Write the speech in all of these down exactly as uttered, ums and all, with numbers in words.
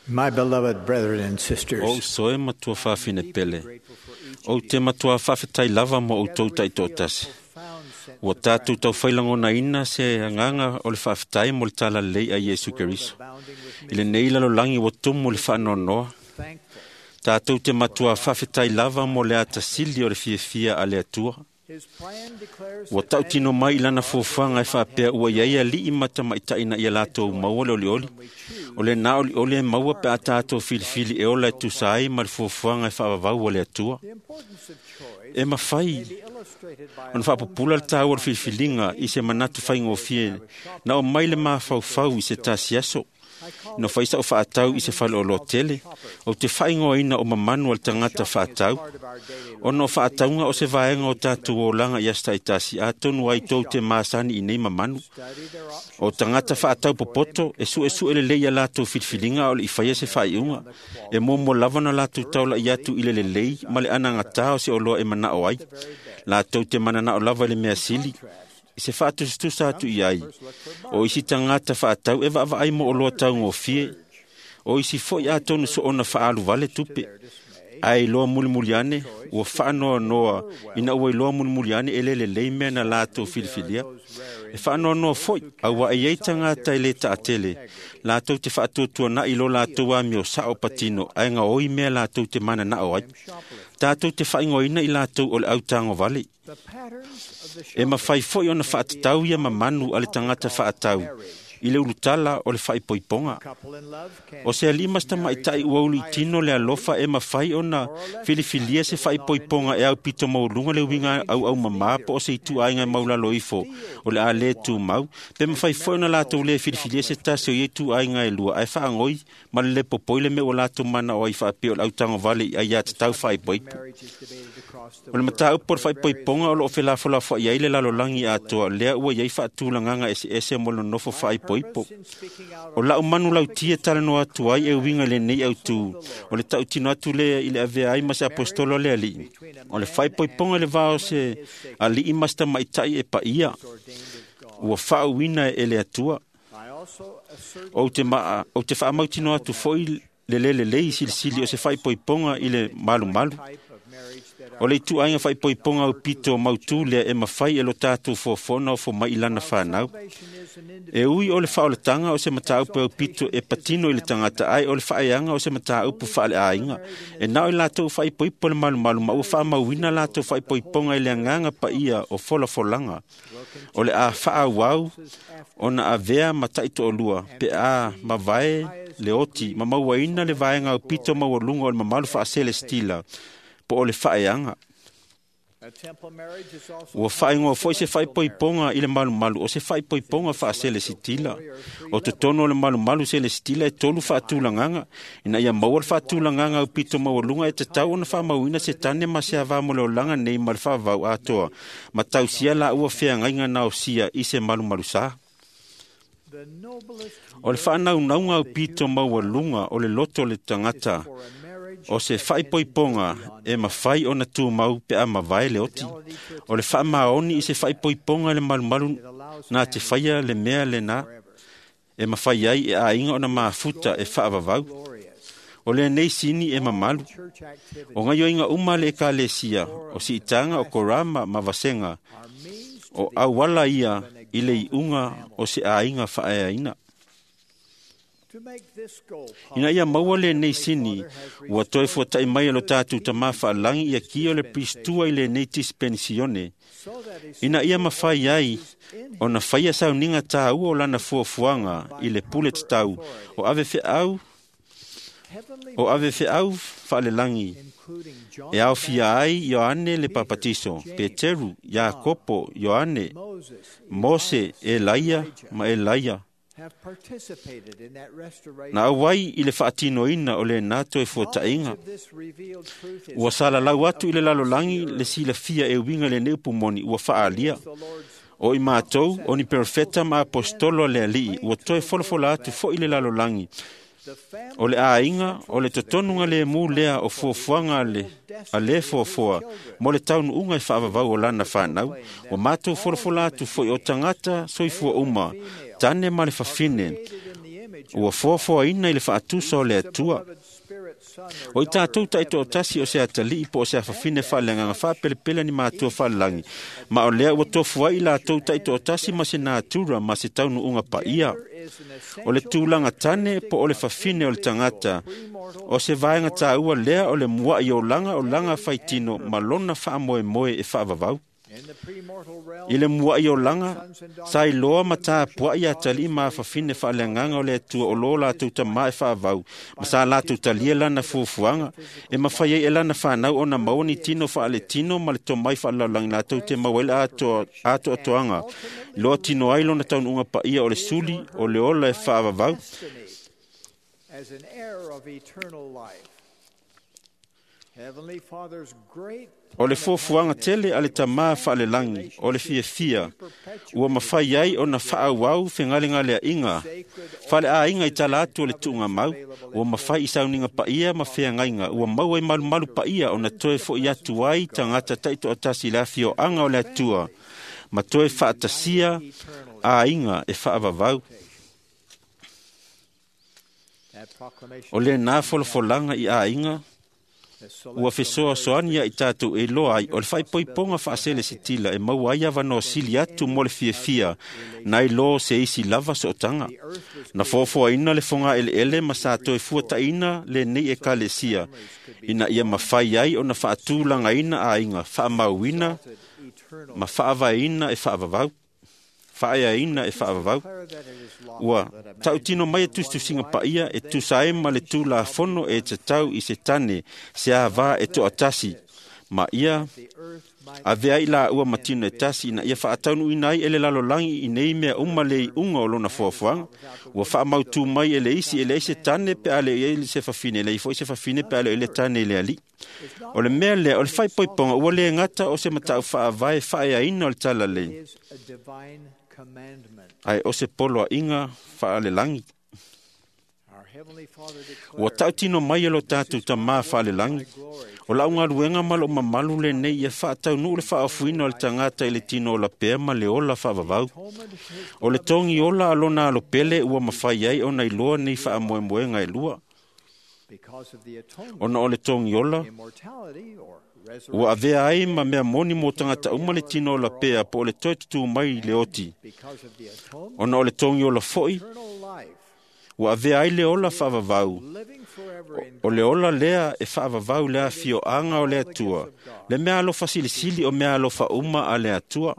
My beloved brethren and sisters, O uso e matua faafine pele, ou te matua faafetai lava mo outou taitoatasi. Ua tatou taufailagonaina se agaga o le faafetai mo le talalelei a Iesu Keriso. I lenei lalolagi ua tumu le faanoanoa, tatou te matua faafetai lava mo le atasili o le fiafia a le Atua. Ua tautino mai i lana fuafuaga e faapea ua iai alii ma tamaitai na ia latou maua le olioli. O lena olioli e maua pe a tatou filifili e ola e tusa ai ma le fuafuaga e faavavau a le Atua. E mafai ona faapupula le taua o le filifiliga i se manatu faigofie na o mai le mafaufau i se tasi aso. Na fai sa'u faatau i se faleoloa tele, ou te faaigoaina o mamanu a le tagata faatau. Ona o faatauga o se vaega o tatou olaga i aso taitasi, atonu ai tou te masani i nei mamanu. O tagata faatau popoto e suesue lelei ia latou filifiliga a o le i faia se faaiuga. E muamua lava ona latou taula'i atu i le lelei ma le anagatā o se oloa e manao ai. Latou te mananao lava i le mea sili, i se faatusatusa atu i ai. O isi tagata faatau e vaavaai mo oloa taugofie. O isi foi atonu soona faaaluvale tupe. Ae iloa mulimuli ane, ua faanoanoa ina ua iloa mulimuli ane e le lelei mea na latou filifilia. E faanoanoa foi, auā e iai tagata e lē taatele, latou te faatuatuana'i lo latou amio sa'o patino ae gaoi mea latou te mananao ai. Tatou te faaigoaina i latou o le autagovale. E mafai foi ona faatatau ia mamanu a le tagata faatau i le ulutala o le faaipoipoga. O se alii ma se tamaitai ua uluitino le alofa e mafai ona filifilia se faaipoipoga e aupito maualuga le uiga auaumamā po o se ituaiga e maulalo ifo o le a lē tumau, pe mafai foi ona latou lē filifilia se tasi o ia ituaiga e lua ae faagoi ma le lē popoi le mea ua latou manao ai faapea o le autagovale i aiatatau faaipoipo. O le mataupu o le faaipoipoga o loo felafolafoai ai le lalolagi atoa, lea ua iai faatulagaga eseese mo le nonofo faaipoipo. O lau manu lautia talanoa atu ai e uiga i lenei autū, o le tautino atu lea i le avea ai ma se aposetolo a le Alii. O le faaipoipoga i le va o se alii ma se tamaitai e paia, ua faauuina e le Atua. Ou te, ma, ou te faamautinoa atu foi le lē lelei silisili o se faaipoipoga i le malumalu. O le ituaiga faaipoipoga aupito mautū lea e mafai e lo tatou foafoa ofo mai i lana fanau. E ui o le faaolataga o se mataupu aupito e patino i le tagata, ae o le faaeaga o se mataupu faaleaiga. E na o i latou faaipoipo le malumalu ma ua faamauina latou faaipoipoga i le agaga paia o folafolaga. O le a faaauau ona avea ma taitoalua pe a mavae le oti ma mauaina le vaega aupito maualuga o le mamalu faaselestila po o le faaeaga. Ua faaigoa foi se faaipoipoga i le malumalu o se faaipoipoga faaselesitila. O totonu o le malumalu selesitila e tolu faatulagaga. Ina ia maua le faatulagaga aupito maualuga e tatau ona faamauina se tane ma se avā mo le olaga nei ma le faavavau atoa, ma tausia laua feagaiga naosia i se malumalusā. O le faanaunauga aupito maualuga o le loto o le tagata o se faaipoipoga e mafai ona tumau pe a mavae le oti. O le faamaoni i se faaipoipoga i le malumalu na te faia le mea lena e mafai ai e aiga ona mafuta e faavavau. O lenei sini e mamalu. O gaioiga uma a le ekalesia, o siitaga o korama ma vasega, o auala ia i le iuga o se aiga faaeaina. Ina ia maua lenei sini, ua toe fuata'i mai e lo tatou Tamā faalagi ia kia o le Piristua i lenei dispensione, ina ia mafai ai ona faia sauniga tāua o lana fuafuaga i le pule tatau o ave feau o ave feau faalelagi e aofia ai Ioane le Papatiso, Peteru, Iakopo, Ioane, Mose, Elaia ma Elaia. Na auai i le faatinoina o lenā toe fuata'iga. Ua salalau atu i le lalolagi le silafia e uiga i lenei upu moni ua faaalia. O i matou, o ni perofeta ma aposetolo a le Alii, ua toe folafola atu foi i le lalolagi. O le aiga, o le totonuga lemu lea o fuafuaga a le, a le foafoa mo le taunuuga e faavavau o lana fanau. Ua matou folafola atu foi o tagata soifua uma, tane ma le fafine, Ua foafoaina i le faatusa o le Atua. O i tatou taitoatasi o se atalii po o se afafine faaleagaga faapelepele ni matua faalelagi, ma o lea ua tofu ai i latou taitoatasi ma se natura ma se taunuuga paia. O le tulaga tane po o le fafine o le tagata, o se vaega taua lea o le mua'i olaga o laga faitino ma lona faamoemoe e faavavau. I le mua'i olaga, sa iloa ma tapua'i atalii ma afafine faaleagaga o le Atua o lo latou tamā e faavau, ma sa latou talia lana fuafuaga, e mafai ai e lana fanau ona maua ni tino faaletino ma le tomai faalelalolagi latou te maua ai le atoa, atoatoaga, loa tino ai lona taunuuga paia o le suli, o le ola e faavavau. As an heir of eternal life. Heavenly Father's great O le fuafuaga tele a le tamā faalelagi, o le fiafia, ua mafai ai ona faaauau fegalegaleaʻiga faleaiga i tala atu o le tuugamau, ua mafai i sauniga paia ma feagaiga, ua maua i malumalu paia ona toe fo'i atu ai tagata taitoatasi i le afioaga o le Atua, ma toe faatasia aiga e faavavau. That proclamation O lenā folafolaga i aiga, the ua celestial fesoasoani ia i tatou e iloa ai o le faaipoipoga faaselesitila e maua ai avanoa sili atu mo le fiafia nai lo se isi lava sootaga. Na foafoaina le fogaeleele ma sa toe fuataina lenei ekalesia ina ia mafai ai ona faatulagaina aiga, faamauina eternal ma faavaeina e faavavau, faaeaina e faavavau. declare that it is lawful Ua that a man tautino mai e tusitusiga paia e tusa ai ma le tulafono e tatau i se tane se avā e toatasi, ma ia the earth might avea ai laua ma tino e tasi ina ia faataunuuina ai e le lalolagi i nei mea uma le iuga o lona foafoaga. Ua faamautū mai e le isi e leai se tane pe a le i ai se fafine, e leai foi se fafine pe a le i le tane i le alii. O le mea lea, o le faaipoipoga ua le gata o se matau faavae faaeaina o le talalelei, is a divine commandment. ae o se poloaiga faalelagi. Our Heavenly Father Ua declared, tautino mai e lo tatou tamā faalelagi, o lau galuega ma lou mamalu lenei ia faataunuu le faaofuina o le tagata i le tino ola pea ma le ola faavavau. atonement of his O le togi ola a lona alopele ua mafai ai ona iloa nei faamoemoega e lua. because of the atonement, Ona o le togi ola, immortality or ua resurrection, avea ai ma mea moni mo tagata uma le tino ola pea po o le toe tutū mai i le oti. because of the atonement, Ona o le togi ola foi, eternal life, ua avea ai le ola faavavau. living forever in O le ola lea e faavavau le afioaga o le Atua, le mea alofa silisili o mea alofa uma a le Atua.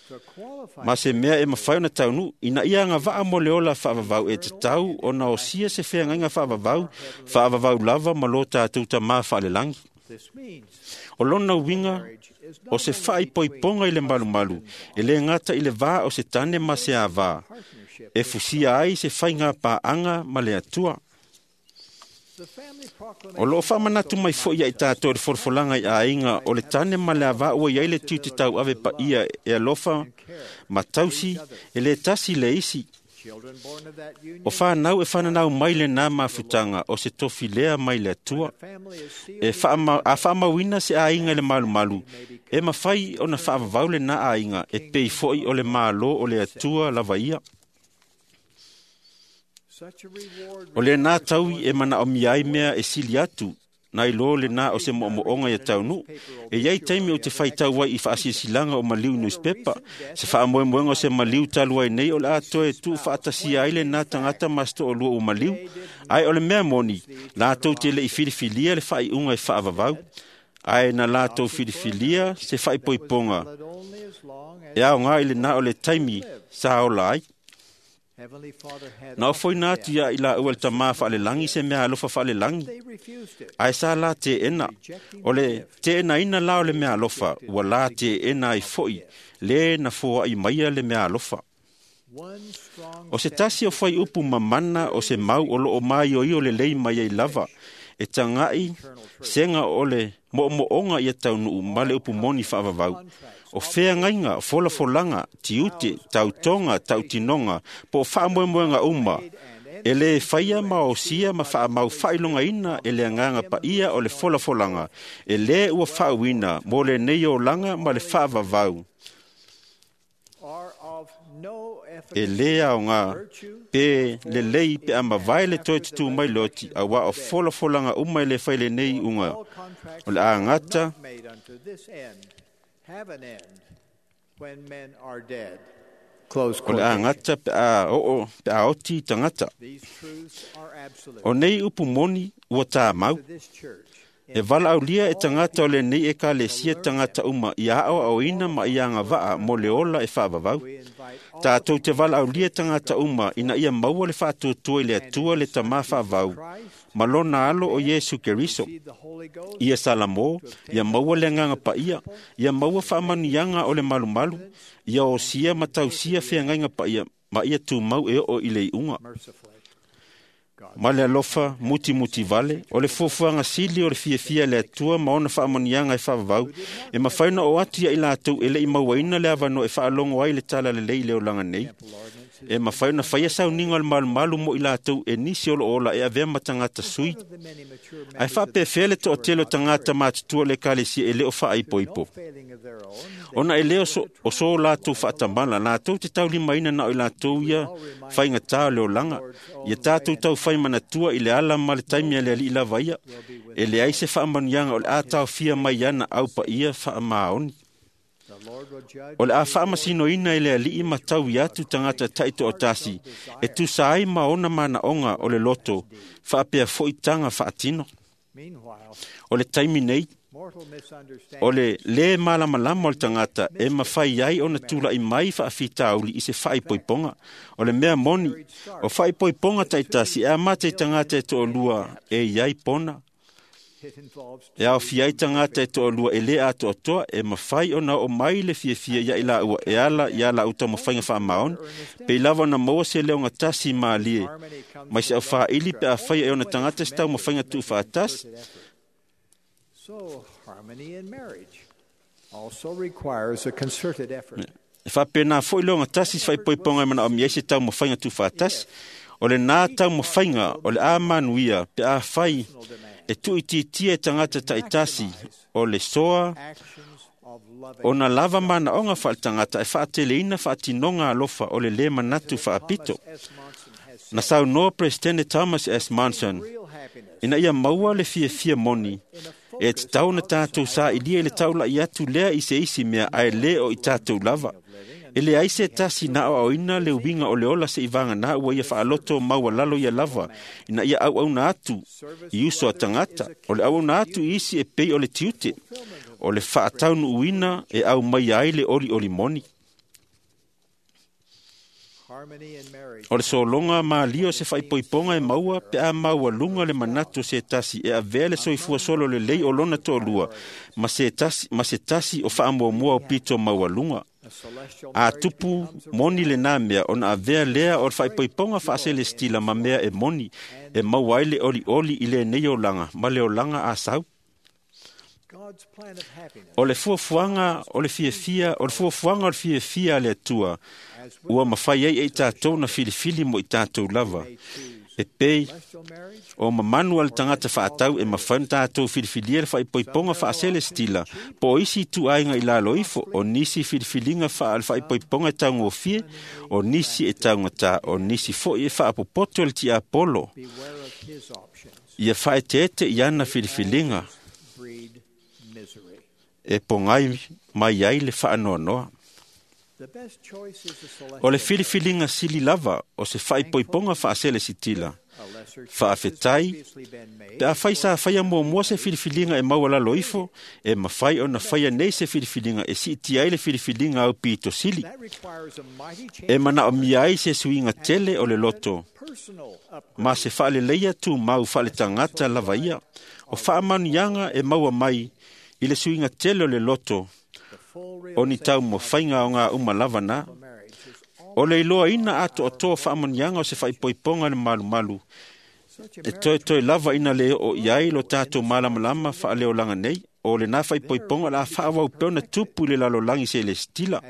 to qualify Ma se mea e mafai ona taunuu, ina ia agavaa mo le ola faavavau e tatau ona osia se feagaiga faavavau, faavavau lava ma lo tatou tamā faalelagi. This means O lona uiga, marriage is o not se only faaipoipoga i le malumalu, e le gata i le vā o se tane ma se avā, partnership. e fusia ai se faiga paaga ma le Atua. The family O loo proclamation faamanatu mai foi ia i tatou le folafolaga i aiga o le tane ma le avā ua iai le tiute tauave paia e alofa ma tausi e le tasi le isi. children born of that union, O whanau e whananau mai le nā mafutaga o se tofi lea mai le Atua. the family is sealed E whaama, a whaamauina se aiga i le malumalu, e mawhai o na whaavavau le nā aiga e pei foi o le malo o le Atua lava ia. Such a reward O le nā taui e mana o miai mea e sili atu, nai lo le nā o se mo'omo'oga ia taunuu. E iai taimi o te whaitau ai i whaasisilanga o maliu newspaper, se whaamoemoega o se maliu talu ai nei o le atoe tu whaatasia ai le nā tangata masto o lua o maliu, ai o le mea moni, lātou te le i filifilia le whaiunga e whaavavau, ai na lātou filifilia se whaipoiponga, valid only as long as e ao ngā i le nā o le taimi sa ola ai. Heavenly Father had Na ofo ina atu ia i la ua le tamā whaalelangi se mea alofa whaalelangi, they refused it. ai sa la te ena. O le te ena ina la o le mea alofa, ua la te ena ai foi, le na fua i maia le mea alofa. One strong O se tasi o whai upu mamana o se mau o loo mai o i o le lei mai ai lava, e tangai senga o le mo'omo'oga ia taunuu ma le upu moni faavavau. O feagaiga, folafolanga, tiute, tautoga, tautinoga, po o faamoemoega uma, e lē faia ma osia ma faamau faailogaina e le agaga paia o le folafolaga, e lē ua faauina mo lenei olaga ma le faavavau. are of no E lē aogā pe lelei pe a mavae le toe tutū mai le oti, auā o folafolaga uma e lē fai lenei iuga o le a gata o le a gata pe a oo pe a oti tagata. O nei upu moni ua tāmau. E valaaulia e tagata o lenei ekalesia tagata uma ia aoaoina ma ia agavaa mo le ola e faavavau. Tatou te valaaulia tagata uma ina ia maua le faatuatua i le Atua le Tamā faavau ma lona alo o Iesu Keriso. Ia Salamo, ia maua le agaga paia, ia maua faamanuiaga o le malumalu, ia osia ma tausia feagaiga paia ma ia tumau e oo i le iuga. Ma le alofa mutimuti vale, o le fuafuaga sili o le fiafia le Atua ma ona faamanuiaga e faavavau, e mafai ona oo atu ia i latou e le i mauaina le avanoa e faalogo ai le tala lelei i le olaga nei. E mafai ona faia sauniga o le malumalu mo i latou e nisi o loo ola e avea ma tagata sui. Ae faapefea le toatele o tagata matutua o le ekalesia e le o faaipoipo. Ona e le o so, o so latou faatamala, latou te taulimaina na o i latou ia faigatā o le olaga. Ia tatou taufai manatua i le ala ma le taimi a le alii lava ia, e leai se faamanuiaga o le a taofia mai ana au paia faamaoni. O le a faamasinoina e le alii ma taui atu tagata taitoatasi e tusa ai ma ona manaoga o le loto, faapea foi taga faatino. O le taimi nei, o le lē malamalama o le tagata e mafai ai ona tula'i mai faafitauli i se faaipoipoga. O le mea moni, o faaipoipoga taitasi e amata i tagata e toalua e i ai pona. E aofia ai tagata e toalua e lē atoatoa e mafai ona oo mai le fiafia ia i laua e ala ia laau taumafaiga faamaoni, pei lava ona maua se leogatasi malie mai se aufaili pe afai e ona tagata se taumafaiga tuufaatasi. So, harmony in marriage also requires a concerted effort. E faapena foi leogatasi se faaipoipoga e manaomia ai se taumafaiga tuufaatasi. O lenā taumafaiga o le a manuia pe afai e tuuitiitia e tagata taitasi o le soa Actions of loving ona lava manaoga faaletagata e faateleina faatinoga alofa o le lē manatu faapito. S. Monson has Na saunoa Peresetene Thomas S. Monson real happiness ina ia maua le fiafia moni e tatau ona tatou sailiia i le taula'i atu lea i se isi mea ae lē o i tatou lava. E leai se tasi na aoaoina le uiga o le ola se'i vaganā ua ia faaloto maualalo ia lava ina ia auauna atu i uso a tagata. O le auauna atu i isi e pei o le tiute, o le faataunuuina e aumaia ai le olioli moni. harmony in marriage O le sologa malia o se faaipoipoga e maua pe a maualuga le manatu o se tasi e avea le soifua solo lelei o lona toalua ma se tasi, ma se tasi o faamuamua o pito maualuga. a celestial A marriage tupu becomes a moni lenā mea ona avea lea o le faaipoipoga faaselestila ma mea e moni e maua ai le olioli i lenei olaga ma le olaga a sau. God's plan of happiness O le fuafuaga o le fiafia, o le fuafuaga o le fiafia a le Atua as we ua mafai ai e i tatou na filifili mo i tatou lava. may choose E pei celestial marriage o mamanu a le tagata faatau e mafai ona tatou filifilia le faaipoipoga faaselestila po o isi ituaiga i lalo ifo, o nisi filifiliga faa le faaipoipoga e taugofie, o nisi e taugatā, o nisi foi e faapopoto e le tiapolo. beware of his options Ia faaeteete i ana filifiliga breed misery. e pogai mai ai le faanoanoa. The best choice is a celestial O le filifiliga sili lava o se faaipoipoga faaselesitila. A lesser choice has Faafetai previously been made pe afai sa faia muamua se filifiliga e maualalo ifo, e mafai ona faia nei se filifiliga e siitia ai le filifiliga au pito sili. that requires a mighty change E manaomia ai se suiga tele o le loto, personal upgrade ma se faaleleia tumau faaletagata lava ia. O faamanuiaga e maua mai i le suiga tele o le loto, the full o ni realization taumafaiga o ngā uma lava na. of marriage is all O le iloaina atoatoa faamanuiaga o se faaipoipoga le malumalu, such a e marriage toetoe lava ina le oo i ai lo tatou malamalama faaleolaga nei, o lenā faaipoipoga o le a faaauau pea ona tupu i le lalolagi selestila.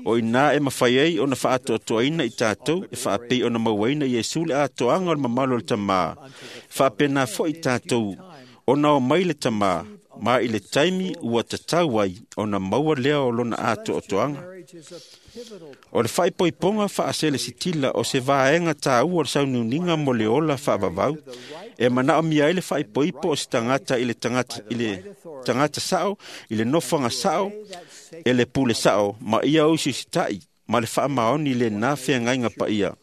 O inā e mafai ai ona faatoatoaina i tatou e faapei ona mauaina Iesu le atoaga o le mamalu o le Tamā. Faapena foi i tatou ona o mai le Tamā ma i le taimi ua tatau ai ona maua lea o lona atoatoaga. Marriage is a pivotal O le faaipoipoga faaselesitila o se vaega taua o le sauniuniga mo le ola faavavau e manaomia ai le faaipoipo o se tagata i le tagata, i le tagata sao, i le nofoaga sao, e le pule sao, ma ia usiusitaʻi ma le faamaoni lenā feagaiga paia,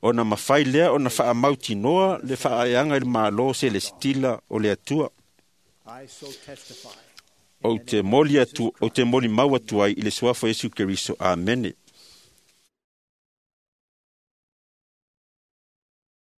ona mafai lea ona faamautinoa le faaeaga i le Malo selesitila o le Atua. I so testify. Ou te moli atu, ou te molimau atu ai i le suafa o Iesu Keriso. Amene.